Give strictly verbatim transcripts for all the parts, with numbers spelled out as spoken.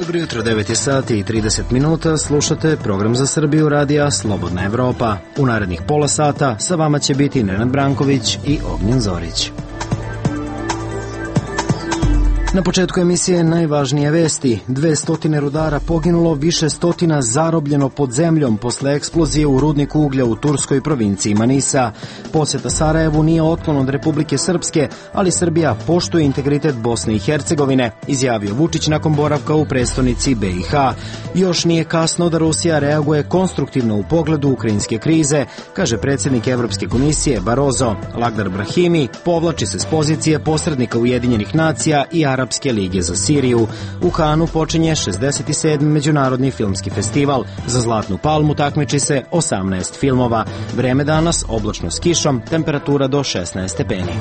Dobro jutro, devet je sati i trideset minuta, slušate program za Srbiju radija Slobodna Evropa. U narednih pola sata sa vama će biti Nenad Branković i Ognjen Zorić. Na početku emisije najvažnije vesti. Dve stotine rudara poginulo, više stotina zarobljeno pod zemljom posle eksplozije u rudniku uglja u turskoj provinciji Manisa. Poseta Sarajevu nije otklon od Republike Srpske, ali Srbija poštuje integritet Bosne i Hercegovine, izjavio Vučić nakon boravka u prestonici B i H. Još nije kasno da Rusija reaguje konstruktivno u pogledu ukrajinske krize, kaže predsjednik Evropske komisije Barozo. Lagdar Brahimi povlači se s pozicije posrednika Ujedinjenih nacija i Arapske lige za Siriju. U Kanu počinje šezdeset sedmi Međunarodni filmski festival. Za Zlatnu palmu takmiči se osamnaest filmova. Vreme danas oblačno s kišom, temperatura do šesnaest stepeni.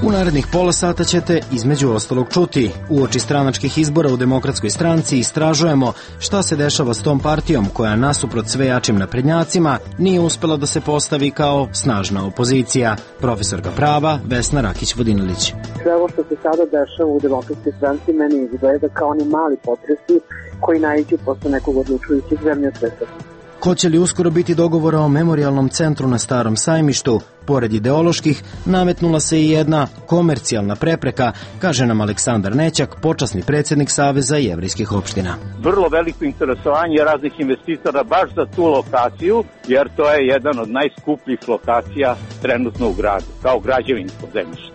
U narednih pola sata ćete između ostalog čuti. Uoči stranačkih izbora u Demokratskoj stranci istražujemo šta se dešava s tom partijom koja nasuprot sve jačim naprednjacima nije uspela da se postavi kao snažna opozicija. Profesorka prava Vesna Rakić-Vodinilić. Sve ovo što se sada dešava u Demokratskoj stranci meni izgleda kao oni mali potresi koji naiđu posle nekog odlučujućeg zemljotresa. Hoće li uskoro biti dogovora o memorijalnom centru na Starom sajmištu? Pored ideoloških, nametnula se i jedna komercijalna prepreka, kaže nam Aleksandar Nećak, počasni predsjednik Saveza jevrejskih opština. Vrlo veliko interesovanje raznih investitora baš za tu lokaciju, jer to je jedan od najskupljih lokacija trenutno u gradu, kao građevinsko zemljište.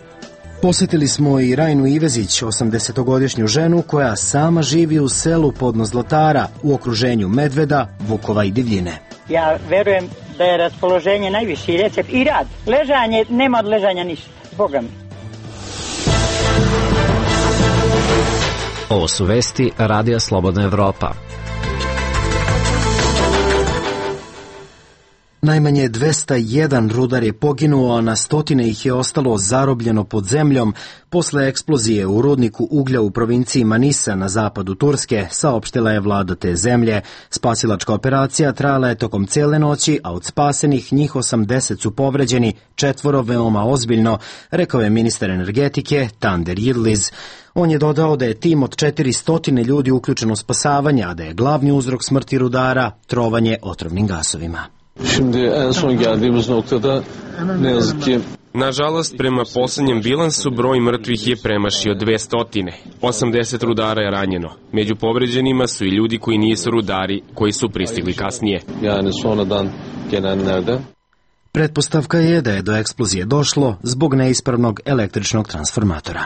Posjetili smo i Rajnu Ivezić, osamdesetogodišnju ženu koja sama živi u selu Podno Zlotara u okruženju medveda, vukova i divljine. Ja verujem da je raspoloženje najviši recept i rad. Ležanje, nema od ležanja ništa. Boga mi. Ovo su vesti Radija Slobodna Evropa. Najmanje dvesta jedan rudar je poginuo, a na stotine ih je ostalo zarobljeno pod zemljom posle eksplozije u rudniku uglja u provinciji Manisa na zapadu Turske, saopštila je vlada te zemlje. Spasilačka operacija trajala je tokom cele noći, a od spasenih njih osamdeset su povređeni, četvoro veoma ozbiljno, rekao je ministar energetike Tander Yildiz. On je dodao da je tim od četiristo ljudi uključeno u spasavanje, a da je glavni uzrok smrti rudara trovanje otrovnim gasovima. Şimdi en son geldiğimiz noktada ne yazık ki Nažalost, prema poslednjem bilansu, broj mrtvih je premašio dve stotine. osamdeset rudara je ranjeno. Među povređenima su i ljudi koji nisu rudari, koji su pristigli kasnije. Yani sonradan gelenlerde. Pretpostavka je da je do eksplozije došlo zbog neispravnog električnog transformatora.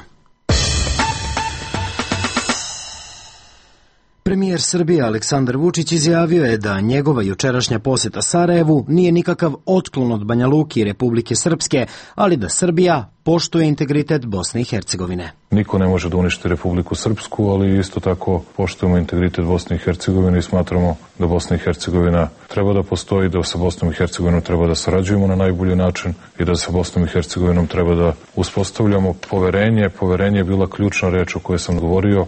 Premijer Srbije Aleksandar Vučić izjavio je da njegova jučerašnja poseta Sarajevu nije nikakav otklon od Banja Luke i Republike Srpske, ali da Srbija poštuje integritet Bosne i Hercegovine. Niko ne može da uništi Republiku Srpsku, ali isto tako poštujemo integritet Bosne i Hercegovine i smatramo da Bosna i Hercegovina treba da postoji, da sa Bosnom i Hercegovinom treba da sarađujemo na najbolji način i da sa Bosnom i Hercegovinom treba da uspostavljamo poverenje. Poverenje je bila ključna reč o kojoj sam govorio.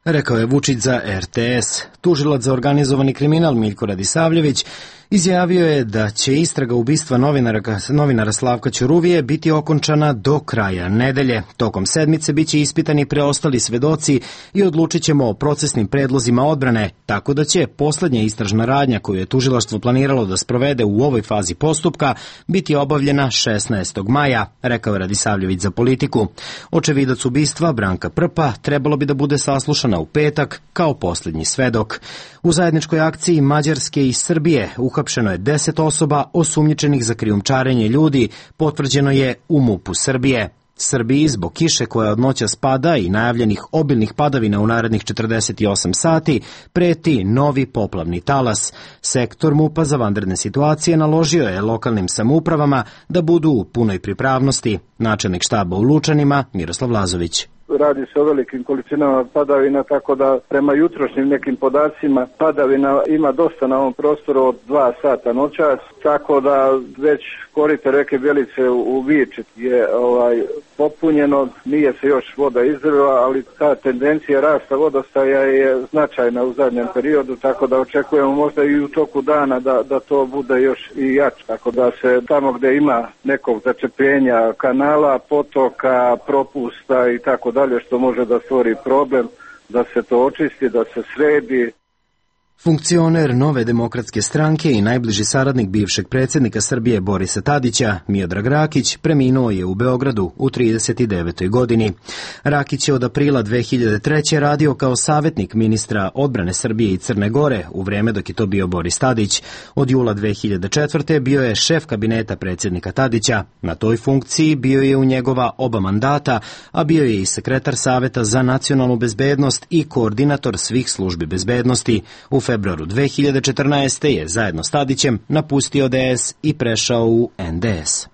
Rekao je Vučić za R T S. Tužilac za organizovani kriminal Miljko Radisavljević izjavio je da će istraga ubistva novinara, novinara Slavka Ćuruvije biti okončana do kraja nedelje. Tokom sedmice biće ispitani preostali svedoci i odlučit ćemo o procesnim predlozima odbrane, tako da će poslednja istražna radnja koju je tužilaštvo planiralo da sprovede u ovoj fazi postupka biti obavljena šesnaestog maja, rekao je Radisavljević za Politiku. Očevidac ubistva Branka Prpa trebalo bi da bude saslušana u petak kao poslednji svedok. U zajedničkoj akciji Mađarske i Srbije uhapšeno je deset osoba osumnjičenih za krijumčarenje ljudi, potvrđeno je u MUP-u Srbije. Srbiji zbog kiše koja od noćas pada i najavljenih obilnih padavina u narednih četrdeset osam sati preti novi poplavni talas. Sektor MUP-a za vanredne situacije naložio je lokalnim samoupravama da budu u punoj pripravnosti. Načelnik štaba u Lučanima Miroslav Lazović. Radi se o velikim količinama padavina, tako da prema jutrošnjim nekim podacima padavina ima dosta na ovom prostoru od dva sata noćas, tako da već korite reke Bjelice u Viči je ovaj, popunjeno, nije se još voda izlila, ali ta tendencija rasta vodostaja je značajna u zadnjem periodu, tako da očekujemo možda i u toku dana da, da to bude još i jače, tako da se tamo gde ima nekog začepljenja kanala, potoka, propusta i tako dalje, dalje što može da stvori problem, da se to očisti, da se sredi. Funkcioner Nove demokratske stranke i najbliži saradnik bivšeg predsjednika Srbije Borisa Tadića, Miodrag Rakić, preminuo je u Beogradu u trideset devetoj godini. Rakić je od aprila dve hiljade treće. radio kao savjetnik ministra odbrane Srbije i Crne Gore u vreme dok je to bio Boris Tadić. Od jula dve hiljade četvrte. bio je šef kabineta predsjednika Tadića. Na toj funkciji bio je u njegova oba mandata, a bio je i sekretar Saveta za nacionalnu bezbednost i koordinator svih službi bezbednosti. U februaru dve hiljade četrnaeste. je zajedno s Tadićem napustio D S i prešao u N D S.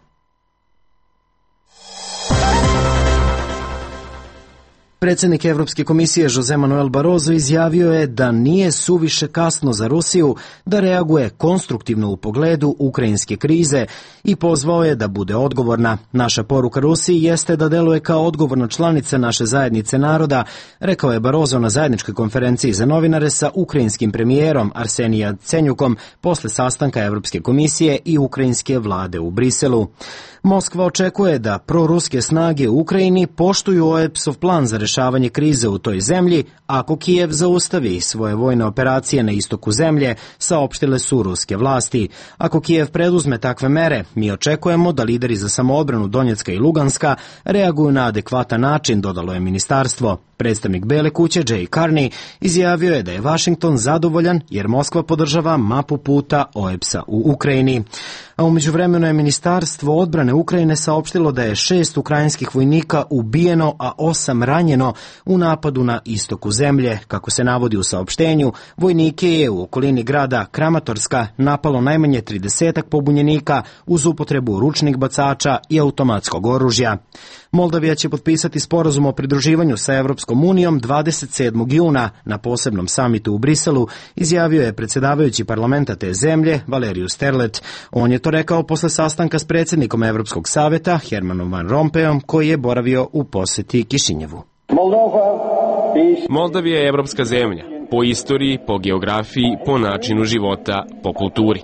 Predsjednik Evropske komisije Jose Manuel Barroso izjavio je da nije suviše kasno za Rusiju da reaguje konstruktivno u pogledu ukrajinske krize i pozvao je da bude odgovorna. Naša poruka Rusiji jeste da deluje kao odgovorna članica naše zajednice naroda, rekao je Barroso na zajedničkoj konferenciji za novinare sa ukrajinskim premijerom Arsenija Cenjukom posle sastanka Evropske komisije i ukrajinske vlade u Briselu. Moskva očekuje da proruske snage u Ukrajini poštuju O E P S-ov plan za rešavanje krize u toj zemlji ako Kijev zaustavi svoje vojne operacije na istoku zemlje, saopštile su ruske vlasti. Ako Kijev preduzme takve mere, mi očekujemo da lideri za samoodbranu Donjecka i Luganska reaguju na adekvatan način, dodalo je ministarstvo. Predstavnik Bele kuće Jay Carney izjavio je da je Vašington zadovoljan jer Moskva podržava mapu puta O E P S-a u Ukrajini. A u međuvremenu je ministarstvo odbrane Ukrajine saopštilo da je šest ukrajinskih vojnika ubijeno, a osam ranjeno u napadu na istoku zemlje. Kako se navodi u saopštenju, vojnike je u okolini grada Kramatorska napalo najmanje tridesetak pobunjenika uz upotrebu ručnih bacača i automatskog oružja. Moldavija će potpisati sporazum o pridruživanju sa Evropskom unijom dvadeset sedmog juna na posebnom samitu u Briselu, izjavio je predsjedavajući parlamenta te zemlje Valerijus Terlet. On je to rekao posle sastanka s predsjednikom Evropskog saveta Hermanom Van Rompuyom, koji je boravio u poseti Kišinjevu. Moldavija je evropska zemlja, po istoriji, po geografiji, po načinu života, po kulturi,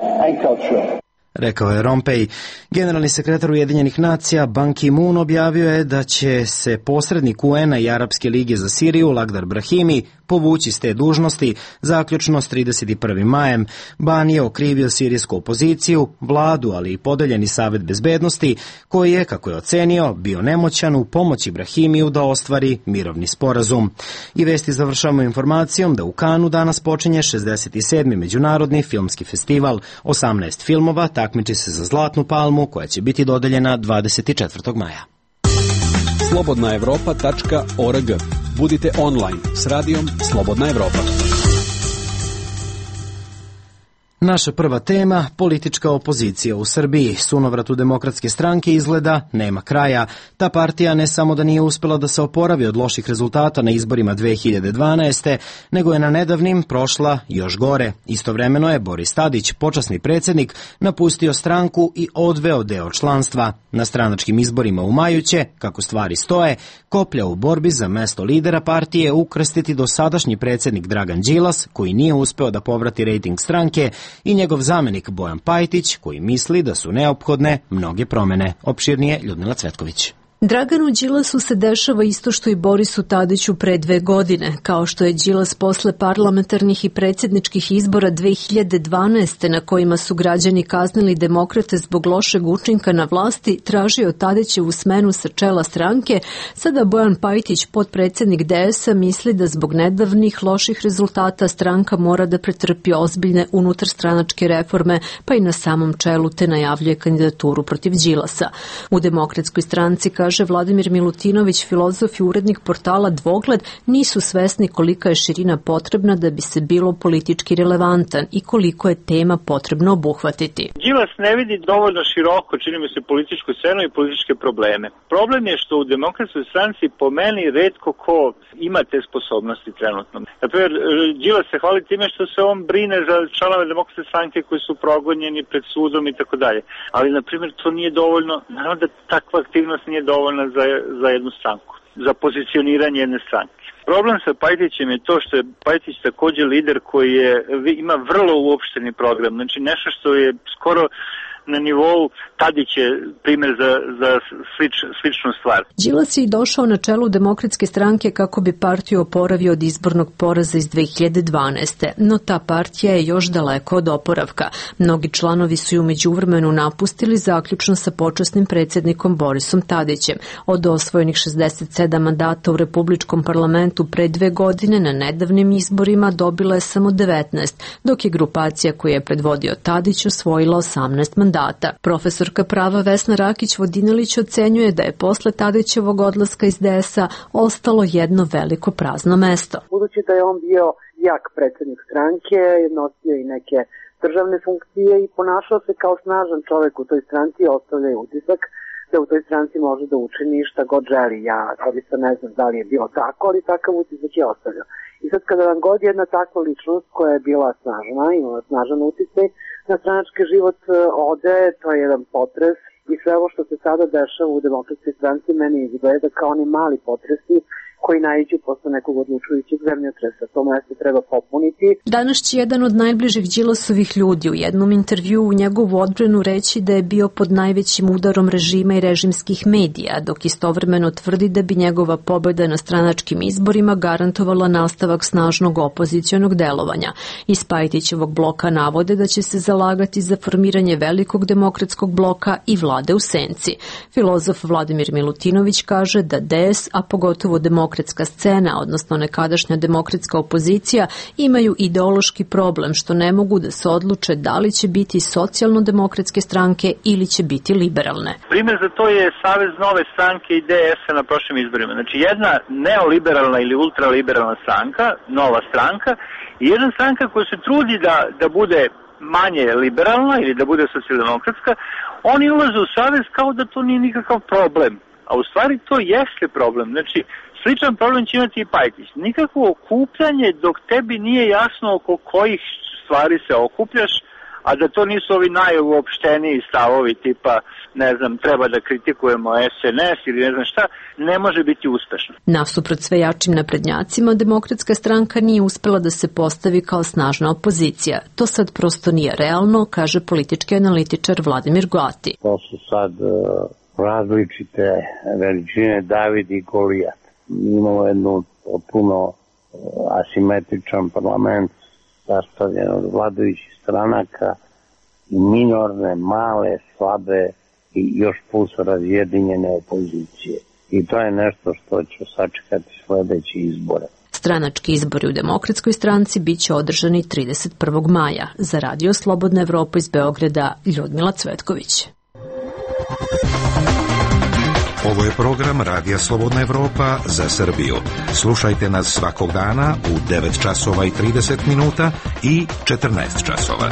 rekao je Rompej. Generalni sekretar Ujedinjenih nacija Ban Ki-moon objavio je da će se posrednik U N-a i Arapske lige za Siriju Lagdar Brahimi povući s te dužnosti zaključno s trideset prvim majem. Ban je okrivio sirijsku opoziciju, vladu, ali i podeljeni savet bezbednosti, koji je, kako je ocenio, bio nemoćan u pomoći Brahimiju da ostvari mirovni sporazum. I vesti završavamo informacijom da u Kanu danas počinje šezdeset sedmi međunarodni filmski festival. osamnaest filmova takmiči se za Zlatnu palmu, koja će biti dodeljena dvadeset četvrtog maja. slobodna evropa tačka org. Budite online s radijom Slobodna Evropa. Naša prva tema, politička opozicija u Srbiji. Sunovratu Demokratske stranke izgleda nema kraja. Ta partija ne samo da nije uspela da se oporavi od loših rezultata na izborima dve hiljade dvanaeste. nego je na nedavnim prošla još gore. Istovremeno je Boris Tadić, počasni predsjednik, napustio stranku i odveo deo članstva. Na stranačkim izborima u maju će, kako stvari stoje, koplja u borbi za mesto lidera partije ukrstiti dosadašnji predsjednik Dragan Đilas, koji nije uspeo da povrati rejting stranke, i njegov zamenik Bojan Pajtić, koji misli da su neophodne mnoge promene. Opširnije Ljudmila Cvetković. Draganu Đilasu se dešava isto što i Borisu Tadiću pre dve godine, kao što je Đilas posle parlamentarnih i predsjedničkih izbora dve hiljade dvanaeste. na kojima su građani kaznili demokrate zbog lošeg učinka na vlasti, tražio Tadićevu smenu sa čela stranke. Sada Bojan Pajtić, potpredsjednik D S-a, misli da zbog nedavnih loših rezultata stranka mora da pretrpi ozbiljne unutarstranačke reforme, pa i na samom čelu, te najavljuje kandidaturu protiv Đilasa. U Demokratskoj stranci, kaže Vladimir Milutinović, filozof i urednik portala Dvogled, nisu svesni kolika je širina potrebna da bi se bilo politički relevantan i koliko je tema potrebno obuhvatiti. Đilas ne vidi dovoljno široko, čini mi se, političku scenu i političke probleme. Problem je što u Demokratskoj stranci po meni retko ko ima te sposobnosti trenutno. Naprimjer, Đilas se hvali time što se on brine za članove Demokratske stranke koji su progonjeni pred sudom i tako dalje. Ali, na primjer, to nije dovoljno, naravno da takva aktivnost nije dovoljna za, za jednu stranku, za pozicioniranje jedne stranke. Problem sa Pajtićem je to što je Pajtić također lider koji je, ima vrlo uopšteni program, znači nešto što je skoro na nivou Tadić je primjer za, za slič, sličnu stvar. Đilas je došao na čelu Demokratske stranke kako bi partiju oporavio od izbornog poraza iz dve hiljade dvanaeste. No ta partija je još daleko od oporavka. Mnogi članovi su ju međuvremenu napustili, zaključno sa počasnim predsjednikom Borisom Tadićem. Od osvojenih šezdeset sedam mandata u Republičkom parlamentu pre dve godine na nedavnim izborima dobila je samo devetnaest, dok je grupacija koju je predvodio Tadić osvojila osamnaest mandata. Profesorka prava Vesna Rakić-Vodinelić ocenjuje da je posle Tadićevog odlaska iz D S A ostalo jedno veliko prazno mesto. Budući da je on bio jak predsjednik stranke, nosio i neke državne funkcije i ponašao se kao snažan čovjek u toj stranci i ostavlja je utisak da u toj stranci može da učini šta god želi. Ja odista ne znam da li je bilo tako, ali takav utisak je ostavljao. I sad kada vam god jedna takva ličnost koja je bila snažna, imala snažan uticaj na stranački život ode, to je jedan potres i sve ovo što se sada dešava u Demokratskoj stranci meni izgleda kao oni mali potresi koji naiđu posle nekog odlučujućeg zemljotresa. To mesto treba popuniti. Danas će jedan od najbližih Đilasovih ljudi u jednom intervju u njegovu odbranu reći da je bio pod najvećim udarom režima i režimskih medija, dok istovremeno tvrdi da bi njegova pobjeda na stranačkim izborima garantovala nastavak snažnog opozicionog delovanja. Iz Pajtićevog bloka navode da će se zalagati za formiranje velikog demokratskog bloka i vlade u senci. Filozof Vladimir Milutinović kaže da D S, a pogotovo demokratska scena, odnosno nekadašnja demokratska opozicija, imaju ideološki problem što ne mogu da se odluče da li će biti socijalno-demokratske stranke ili će biti liberalne. Primjer za to je Savez nove stranke i D S-a na prošlim izborima. Znači jedna neoliberalna ili ultraliberalna stranka, nova stranka, i jedna stranka koja se trudi da, da bude manje liberalna ili da bude socijaldemokratska, oni ulaze u savez kao da to nije nikakav problem. A u stvari to jeste problem. Znači, sličan problem će imati i Pajtić. Nikakvo okupljanje dok tebi nije jasno oko kojih stvari se okupljaš, a da to nisu ovi najuopšteniji stavovi tipa, ne znam, treba da kritikujemo S N S ili ne znam šta, ne može biti uspešno. Nasuprot sve jačim naprednjacima, Demokratska stranka nije uspela da se postavi kao snažna opozicija. To sad prosto nije realno, kaže politički analitičar Vladimir Goati. To su sad uh, različite veličine David i Golijat. Imamo jednu potpuno asimetričan parlament sastavljen od vladajućih stranaka i minorne, male, slabe i još plus razjedinjene opozicije. I to je nešto što će sačekati sledeći izbore. Stranački izbori u Demokratskoj stranci bit će održani trideset prvog maja. Za Radio Slobodna Evropa iz Beograda, Ljudmila Cvetković. Ovo je program Radija Slobodna Evropa za Srbiju. Slušajte nas svakog dana u devet časova i trideset minuta i četrnaest časova.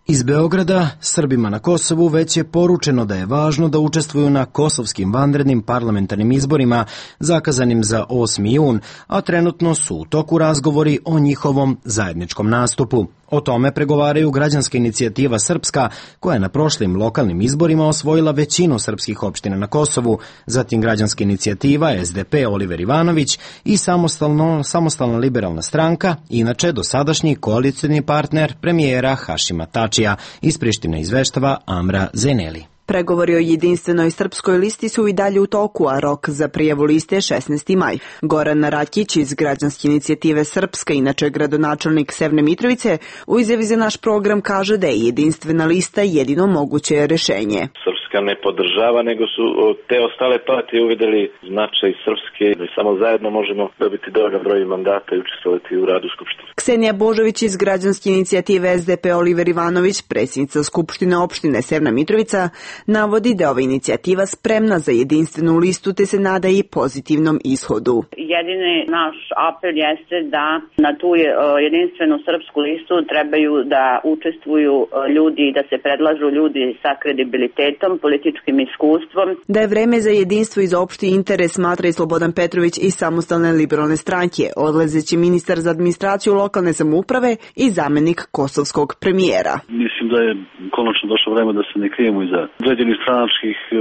Iz Beograda, Srbima na Kosovu već je poručeno da je važno da učestvuju na kosovskim vanrednim parlamentarnim izborima zakazanim za osmi jun, a trenutno su u toku razgovori o njihovom zajedničkom nastupu. O tome pregovaraju Građanska inicijativa Srpska, koja je na prošlim lokalnim izborima osvojila većinu srpskih opština na Kosovu, zatim Građanska inicijativa S D P Oliver Ivanović i samostalno, samostalna liberalna stranka, inače dosadašnji koalicioni partner premijera Hašima Tačija. Iz Prištine izveštava Amra Zeneli. Pregovori o jedinstvenoj srpskoj listi su i dalje u toku, a rok za prijavu liste je šesnaesti maj. Goran Rakić iz Građanske inicijative Srpska, inače gradonačelnik Severne Mitrovice, u izjavi za naš program kaže da je jedinstvena lista jedino moguće rešenje. Srpska ne podržava, nego su te ostale partije uvideli značaj Srpske i samo zajedno možemo dobiti dovoljan broj mandata i učestvovati u radu Skupštine. Ksenija Božović iz Građanske inicijative S D P Oliver Ivanović, predsjednica Skupštine opštine Severna Mitrovica, navodi da je ova inicijativa spremna za jedinstvenu listu te se nada i pozitivnom ishodu. Jedini naš apel jeste da na tu jedinstvenu srpsku listu trebaju da učestvuju ljudi, da se predlažu ljudi sa kredibilitetom, punim političkim iskustvom. Da je vreme za jedinstvo i za opšti interes smatra i Slobodan Petrović iz Samostalne liberalne stranke, odlazeći ministar za administraciju lokalne samouprave i zamenik kosovskog premijera. Mislim da je konačno došlo vreme da se ne krijemo iza određenih stranačkih e,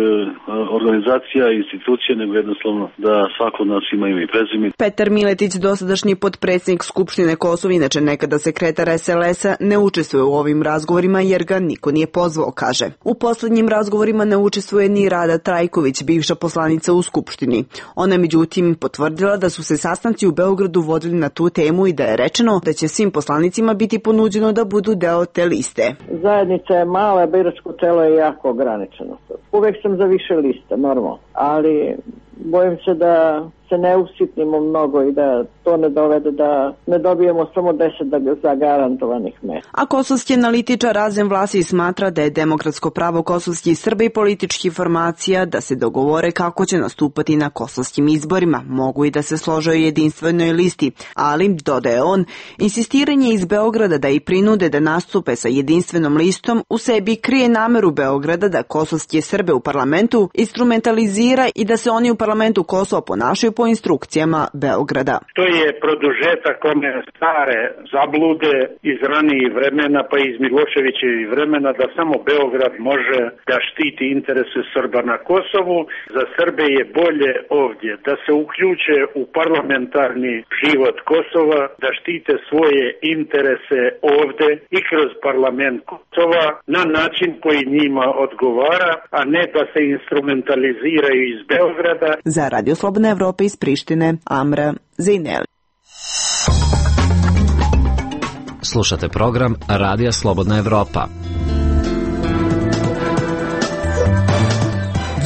organizacija i institucija, nego jednostavno da svako od nas ima ime i prezime. Petar Miletić, dosadašnji potpredsjednik Skupštine Kosova, inače nekada sekretar es el es-a, ne učestvuje u ovim razgovorima jer ga niko nije pozvao, kaže. U poslednjim razgovorima ne učestvuje ni Rada Trajković, bivša poslanica u Skupštini. Ona je međutim potvrdila da su se sastanci u Beogradu vodili na tu temu i da je rečeno da će svim poslanicima biti ponuđeno da budu deo te liste. Zajednica je mala, biračko telo je jako ograničeno. Uvek sam za više lista, normalno, ali bojim se da se ne usitnimo mnogo i da to ne dovede da ne dobijemo samo deset zagarantovanih mesta. A kosovski analitičar Razem Vlasi smatra da je demokratsko pravo kosovskih Srba i političkih formacija da se dogovore kako će nastupati na kosovskim izborima. Mogu i da se slože o jedinstvenoj listi, ali, dodaje on, insistiranje iz Beograda da i prinude da nastupe sa jedinstvenom listom u sebi krije nameru Beograda da kosovske Srbe u parlamentu instrumentalizira i da se oni u parlamentu Kosova ponašaju po instrukcijama Beograda. To je produžetak one stare zablude iz ranijih vremena, pa iz Miloševićevih vremena, da samo Beograd može da štiti interese Srba na Kosovu. Za Srbe je bolje ovdje da se uključe u parlamentarni život Kosova, da štite svoje interese ovde i kroz parlament Kosova na način koji njima odgovara, a ne da se instrumentaliziraju iz Beograda. Za Radio Slobodna Evropa iz Prištine, Amra Zejnel. Slušate program Radija Slobodna Evropa.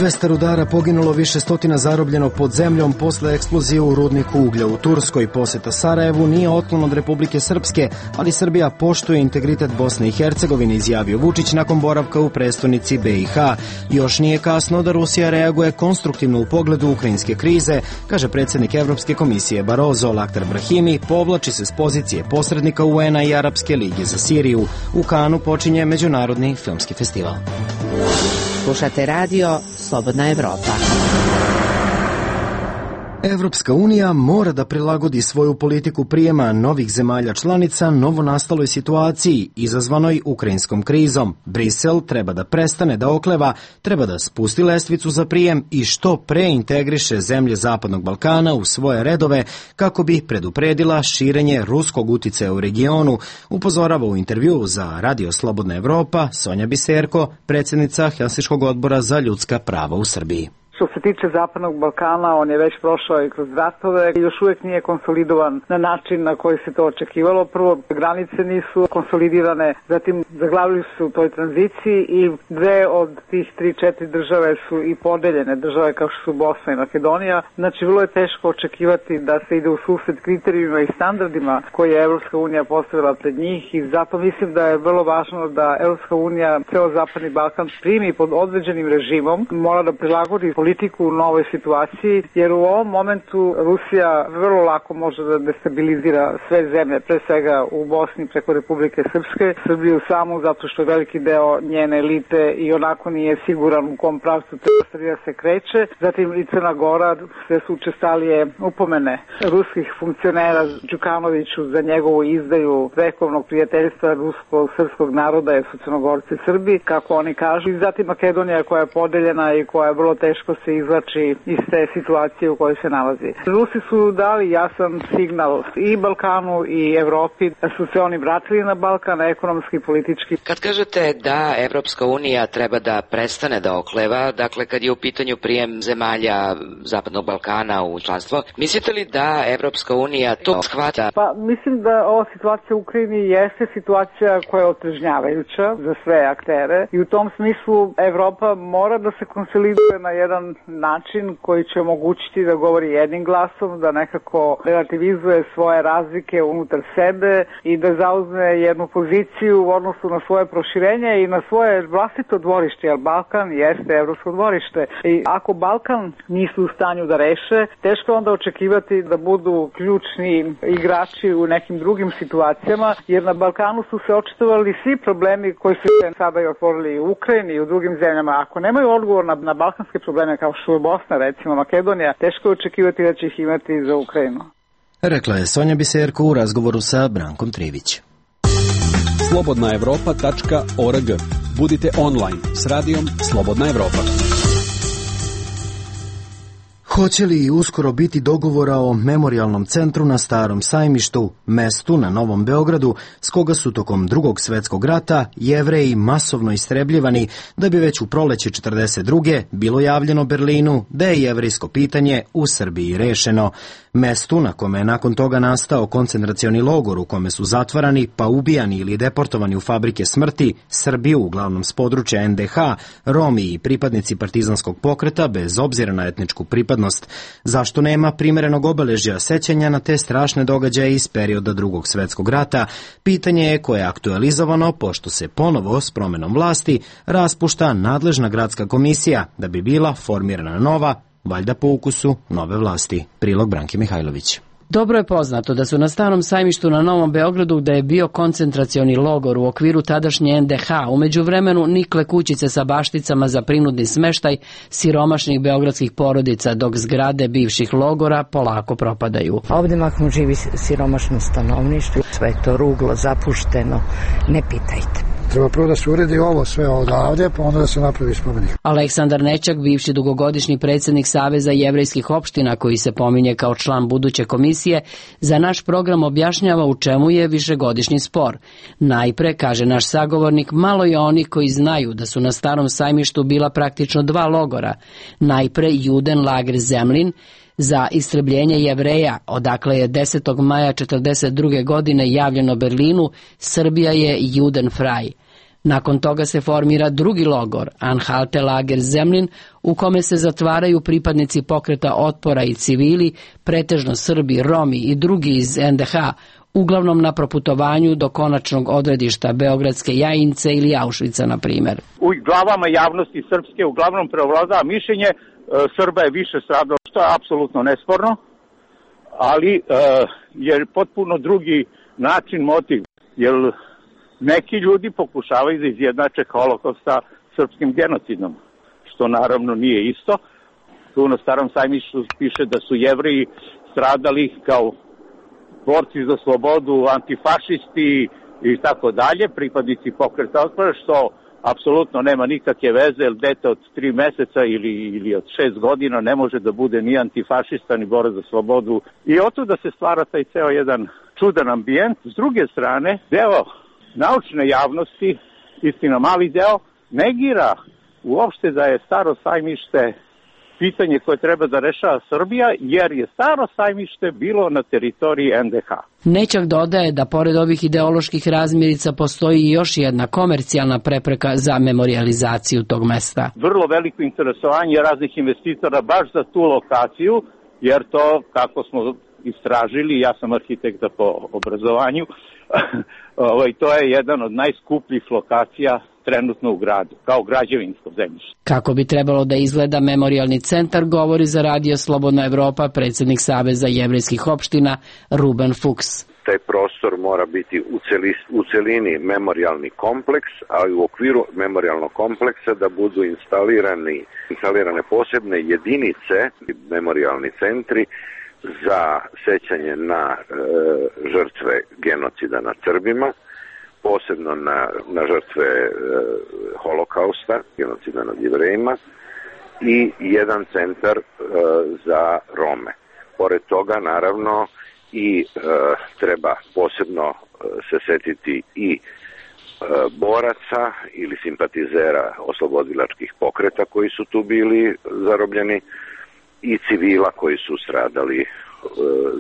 dvesta rudara poginulo, više stotina zarobljeno pod zemljom posle eksplozije u rudniku uglja u Turskoj. Poseta Sarajevu nije otklon od Republike Srpske, ali Srbija poštuje integritet Bosne i Hercegovine, izjavio Vučić nakon boravka u prestonici be i ha. Još nije kasno da Rusija reaguje konstruktivno u pogledu ukrajinske krize, kaže predsjednik Evropske komisije Barozo. Lakhdar Brahimi povlači se s pozicije posrednika u en a i Arapske lige za Siriju. U Kanu počinje Međunarodni filmski festival. Slušate radio Slobodna Evropa. Evropska unija mora da prilagodi svoju politiku prijema novih zemalja članica novonastaloj situaciji izazvanoj ukrajinskom krizom. Brisel treba da prestane da okleva, treba da spusti lestvicu za prijem i što pre integriše zemlje Zapadnog Balkana u svoje redove kako bi predupredila širenje ruskog uticaja u regionu, upozorava u intervju za Radio Slobodna Evropa Sonja Biserko, predsjednica Helsinškog odbora za ljudska prava u Srbiji. Što se tiče Zapadnog Balkana, on je već prošao i kroz ratove i još uvijek nije konsolidovan na način na koji se to očekivalo. Prvo, granice nisu konsolidirane, zatim zaglavili su u toj tranziciji i dve od tih tri, četiri države su i podeljene države kao što su Bosna i Makedonija. Znači, vrlo je teško očekivati da se ide u susret kriterijima i standardima koje je Evropska unija postavila pred njih i zato mislim da je vrlo važno da Evropska unija ceo Zapadni Balkan primi pod određenim režimom, mora da prilagodi politiku u novoj situaciji, jer u ovom momentu Rusija vrlo lako može da destabilizira sve zemlje, pre svega u Bosni preko Republike Srpske, Srbiju samu zato što veliki deo njene elite i onako nije siguran u kom pravcu Srbija se kreće. Zatim i Crna Gora, sve su učestalije upomene ruskih funkcionera Đukanoviću za njegovu izdaju vekovnog prijateljstva rusko-srpskog naroda jer su Crnogorci Srbi, kako oni kažu. I zatim Makedonija koja je podeljena i koja je vrlo teško se izvlači iz te situacije u kojoj se nalazi. Rusi su dali jasan signal i Balkanu i Evropi da su se oni vratili na Balkan, ekonomski i politički. Kad kažete da Evropska unija treba da prestane da okleva, dakle kad je u pitanju prijem zemalja Zapadnog Balkana u članstvo, mislite li da Evropska unija to shvata? Pa mislim da ova situacija u Ukrajini jeste situacija koja je otrežnjavajuća za sve aktere i u tom smislu Evropa mora da se konsoliduje na jedan jedan način koji će omogućiti da govori jednim glasom, da nekako relativizuje svoje razlike unutar sebe i da zauzme jednu poziciju u odnosu na svoje proširenje i na svoje vlastito dvorište, jer Balkan jeste evropsko dvorište. I ako Balkan nisu u stanju da reše, teško onda očekivati da budu ključni igrači u nekim drugim situacijama, jer na Balkanu su se očitovali svi problemi koji su se sada i otvorili u Ukrajini i u drugim zemljama. Ako nemaju odgovor na, na balkanske probleme kao što je Bosna, recimo Makedonija, teško je očekivati da će ih imati za Ukrajinu. Rekla je Sonja Biserko u razgovoru sa Brankom Trivić. slobodna evropa tačka org. Budite online s radijom Slobodna Evropa. Hoće li uskoro biti dogovora o memorijalnom centru na Starom sajmištu, mestu na Novom Beogradu, s koga su tokom Drugog svetskog rata Jevreji masovno istrebljivani, da bi već u proleće četrdeset druge bilo javljeno Berlinu da je jevrejsko pitanje u Srbiji rešeno. Mestu na kome je nakon toga nastao koncentracioni logor u kome su zatvarani pa ubijani ili deportovani u fabrike smrti Srbi, uglavnom s područja en de ha, Romi i pripadnici partizanskog pokreta bez obzira na etničku pripadnost. Zašto nema primerenog obeležja sećanja na te strašne događaje iz perioda Drugog svetskog rata? Pitanje je koje je aktualizovano pošto se ponovo s promenom vlasti raspušta nadležna gradska komisija da bi bila formirana nova, valjda po ukusu nove vlasti. Prilog Branke Mihajlović. Dobro je poznato da su na Starom sajmištu na Novom Beogradu, da je bio koncentracioni logor u okviru tadašnje en de ha, umeđu vremenu nikle kućice sa bašticama za prinudni smeštaj siromašnih beogradskih porodica, dok zgrade bivših logora polako propadaju. Ovde mahom živi siromašno stanovništvo, sve je to ruglo, zapušteno, ne pitajte. Treba prvo da se uredi ovo sve odavde, pa onda da se napravi spomenik. Aleksandar Nećak, bivši dugogodišnji predsjednik Saveza jevrejskih opština, koji se pominje kao član buduće komisije, za naš program objašnjava u čemu je višegodišnji spor. Najpre, kaže naš sagovornik, malo je onih koji znaju da su na Starom sajmištu bila praktično dva logora. Najpre Judenlager Zemlin, za istrebljenje Jevreja, odakle je desetog maja četrdeset druge godine javljeno Berlinu, Srbija je Judenfrei. Nakon toga se formira drugi logor, Anhaltelager Zemlin, u kome se zatvaraju pripadnici pokreta otpora i civili, pretežno Srbi, Romi i drugi iz en de ha, uglavnom na proputovanju do konačnog odredišta Beogradske Jajince ili Auschwitza, na primjer. U glavama javnosti srpske uglavnom preovladava mišljenje Srba je više stradalo, što je apsolutno nesporno, ali e, je potpuno drugi način, motiv, jer neki ljudi pokušavaju da izjednače holokaust sa srpskim genocidom, što naravno nije isto. Tu na Starom sajmištu piše da su Jevreji stradali kao borci za slobodu, antifašisti i tako dalje, pripadnici pokreta otpora, što apsolutno nema nikakve veze, jer dete od tri meseca ili, ili od šest godina ne može da bude ni antifašista, ni borac za slobodu. I oto da se stvara taj ceo jedan čudan ambijent. S druge strane, deo naučne javnosti, istina mali deo, negira uopšte da je Staro sajmište pitanje koje treba da rešava Srbija, jer je Staro sajmište bilo na teritoriji en de ha. Nećak dodaje da pored ovih ideoloških razmirica postoji i još jedna komercijalna prepreka za memorijalizaciju tog mesta. Vrlo veliko interesovanje raznih investitora baš za tu lokaciju, jer to, kako smo istražili, ja sam arhitekta po obrazovanju, to je jedan od najskupljih lokacija trenutno u gradu, kao građevinsko zemljište. Kako bi trebalo da izgleda memorijalni centar, govori za Radio Slobodna Evropa predsjednik Saveza jevrejskih opština Ruben Fuchs. Taj prostor mora biti u, celi, u celini memorijalni kompleks, ali u okviru memorijalnog kompleksa da budu instalirani, instalirane posebne jedinice, memorijalni centri, za sećanje na e, žrtve genocida nad Srbima, posebno na, na žrtve e, holokausta, genocida nad Jevrejima, i jedan centar e, za Rome. Pored toga, naravno, i e, treba posebno e, se setiti i e, boraca ili simpatizera oslobodilačkih pokreta koji su tu bili zarobljeni, i civila koji su stradali e,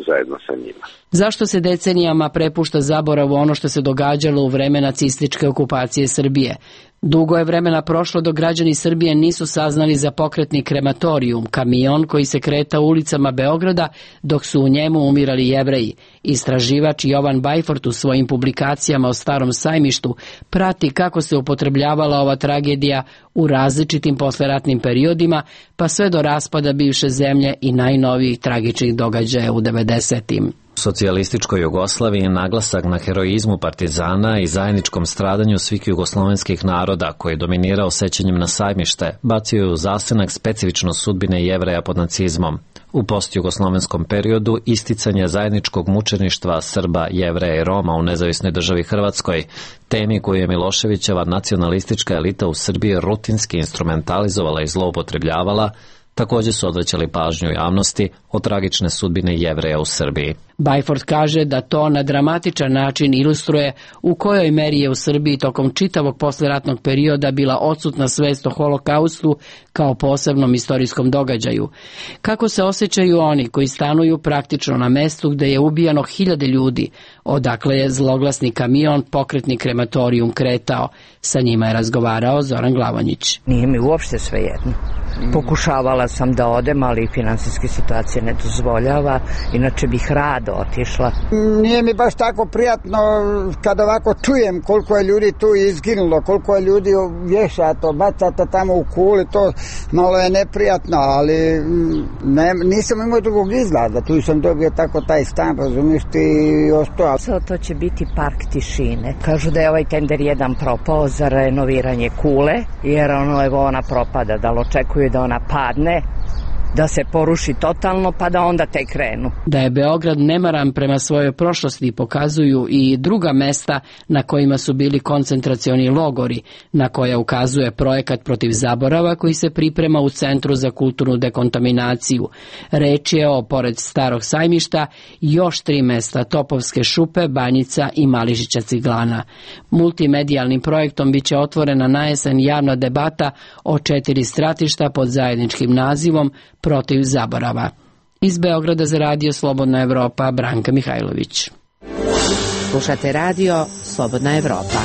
zajedno sa njima. Zašto se decenijama prepušta zaboravu ono što se događalo u vreme nacističke okupacije Srbije? Dugo je vremena prošlo dok građani Srbije nisu saznali za pokretni krematorijum, kamion koji se kreta ulicama Beograda dok su u njemu umirali Jevreji. Istraživač Jovan Bajfort u svojim publikacijama o Starom sajmištu prati kako se upotrebljavala ova tragedija u različitim posleratnim periodima, pa sve do raspada bivše zemlje i najnovijih tragičnih događaja u devedesetim. U socijalističkoj Jugoslaviji naglasak na heroizmu partizana i zajedničkom stradanju svih jugoslovenskih naroda, koji je dominirao sećanjem na sajmište, bacio je u zasenak specifično sudbine Jevreja pod nacizmom. U postjugoslovenskom periodu isticanje zajedničkog mučeništva Srba, Jevreja i Roma u nezavisnoj državi Hrvatskoj, temi koju je Miloševićeva nacionalistička elita u Srbiji rutinski instrumentalizovala i zloupotrebljavala, također su odvraćali pažnju javnosti o tragične sudbine Jevreja u Srbiji. Bajfort kaže da to na dramatičan način ilustruje u kojoj meri je u Srbiji tokom čitavog posleratnog perioda bila odsutna svest o holokaustu kao posebnom istorijskom događaju. Kako se osjećaju oni koji stanuju praktično na mestu gde je ubijano hiljade ljudi, odakle je zloglasni kamion pokretni krematorijum kretao. Sa njima je razgovarao Zoran Glavonjić. Nije mi uopšte svejedno. Pokušavala sam da odem, ali finansijske situacije ne dozvoljava, inače bih rado otišla. Nije mi baš tako prijatno kad ovako čujem koliko je ljudi tu izginulo, koliko je ljudi vješato, bacato tamo u kuli, to malo je neprijatno, ali ne, nisam imao drugog izgleda, tu sam dobio tako taj stan, razumiješ ti, i ostao. Sad to će biti park tišine. Kažu da je ovaj tender jedan propao za renoviranje kule, jer ono evo ona propada, da li očekuju da ona padne, da se poruši totalno, pa da onda tek krenu. Da je Beograd nemaran prema svojoj prošlosti pokazuju i druga mesta na kojima su bili koncentracioni logori, na koja ukazuje projekat protiv zaborava koji se priprema u Centru za kulturnu dekontaminaciju. Reč je o, pored Starog sajmišta, još tri mesta: Topovske šupe, Banjica i Mališića Ciglana. Multimedijalnim projektom biće otvorena na jesen javna debata o četiri stratišta pod zajedničkim nazivom Protiv zaborava. Iz Beograda za radio Slobodna Evropa, Branka Mihajlović. Slušate radio Slobodna Evropa.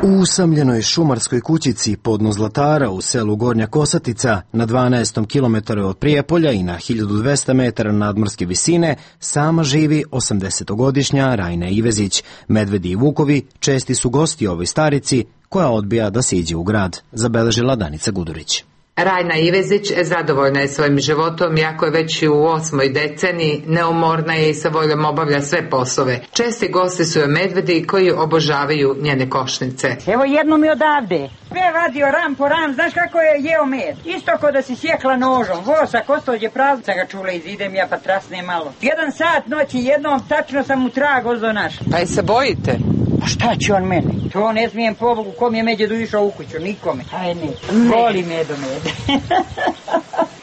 U usamljenoj šumarskoj kućici podno Zlatara u selu Gornja Kosatica na dvanaest kilometara od Prijepolja i na hiljadu dvesta metara nadmorske visine sama živi osamdesetogodišnja Rajna Ivezić. Medvedi i vukovi česti su gosti ovoj starici koja odbija da siđe u grad, zabeležila Danica Gudurić. Rajna Ivezić zadovoljna je svojim životom, iako je već u osmoj deceniji, neumorna je i sa voljom obavlja sve poslove. Česti gosti su joj medvedi koji obožavaju njene košnice. Evo jedno mi odavde. Sve vadio ram po ram, znaš kako je jeo med? Isto ko da si sjekla nožom. Vosa, kostođe pravca ga čula, izidem ja pa trasne malo. Jedan sat noći jednom, tačno sam u trag ozdo naš. Pa i se bojite? Pa šta će on mene? To ne smijem pobogu, kom je međedu išao u kuću, nikome. Aj ne, voli medo med.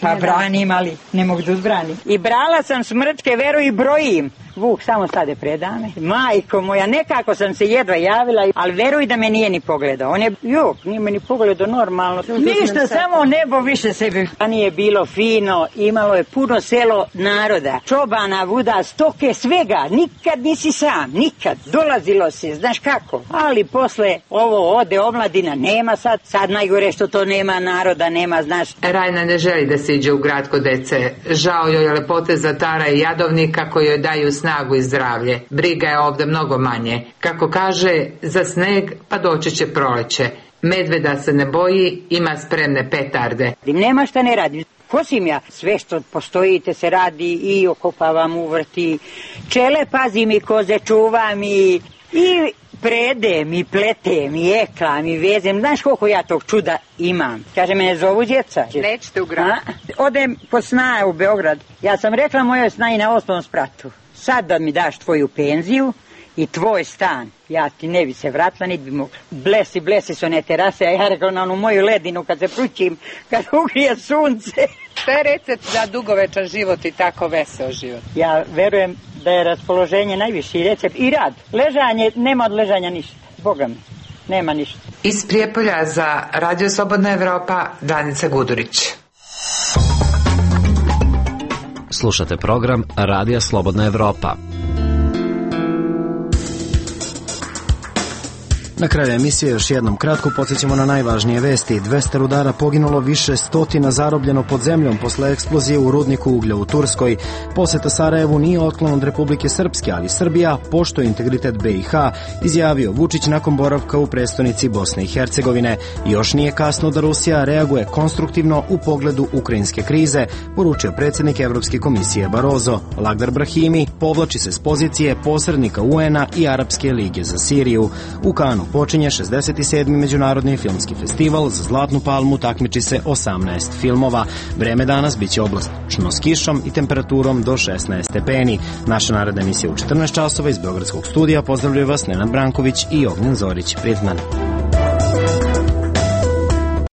Pa branim, ali ne mogu da uzbranim. I brala sam smrčke, veruj, i brojim. Vuk samo stade predame. Majko moja, nekako sam se jedva javila, ali veruj da me nije ni pogledao. On je, jok, nije me ni pogledao normalno. Ništa, samo nebo više sebi. A nije bilo fino, imalo je puno selo naroda. Čobana, vuda, stoke, svega. Nikad nisi sam, nikad. Dolazilo se, znaš kako. Ali posle ovo ode omladina, nema sad. Sad najgore što to nema naroda, nema, znaš. Rajna ne želi da se iđe u grad kod dece. Žao joj je lepote Zlatara i Jadovnika koji joj daju snagu i zdravlje. Briga je ovde mnogo manje. Kako kaže, za sneg pa doći će proleće. Medveda se ne boji, ima spremne petarde. Nema šta ne radi. Kosim ja, sve što postojite se radi, i okopavam u vrti, čele pazim i koze čuvam i, i predem i pletem i eklam i vezem. Znaš koliko ja tog čuda imam? Kaže, mene zovu djeca. Nećete u grad? Odem po sna u Beograd. Ja sam rekla mojoj snaji na osmom spratu. Sad da mi daš tvoju penziju i tvoj stan, ja ti ne bi se vratila, niti bi mogla. Blesi, blesi su one terase, a ja rekla na onu moju ledinu kad se pručim, kad ugrije sunce. Šta je recept za dugovečan život i tako veseo život? Ja verujem da je raspoloženje najviši recept i rad. Ležanje, nema od ležanja ništa, Boga mi, nema ništa. Iz Prijepolja za Radio Slobodna Evropa, Danica Gudurić. Slušate program Radija Slobodna Evropa. Na kraju emisije još jednom kratko podsjećamo na najvažnije vesti. dvesta rudara poginulo, više stotina zarobljeno pod zemljom posle eksplozije u rudniku uglja u Turskoj. Poseta Sarajevu nije otklon od Republike Srpske, ali Srbija poštuje integritet be i ha, izjavio Vučić nakon boravka u prestonici Bosne i Hercegovine. Još nije kasno da Rusija reaguje konstruktivno u pogledu ukrajinske krize, poručio predsjednik Evropske komisije Barozo. Lagdar Brahimi povlači se s pozicije posrednika u en a i Arapske lige za Siriju. U Kanu počinje šezdeset sedmi Međunarodni filmski festival, za Zlatnu palmu takmiči se osamnaest filmova. Vreme danas biće oblačno s kišom i temperaturom do šesnaest stepeni. Naša naredna emisija u četrnaest časova iz Beogradskog studija. Pozdravljaju vas Nenad Branković i Ognjen Zorić. Prijatno.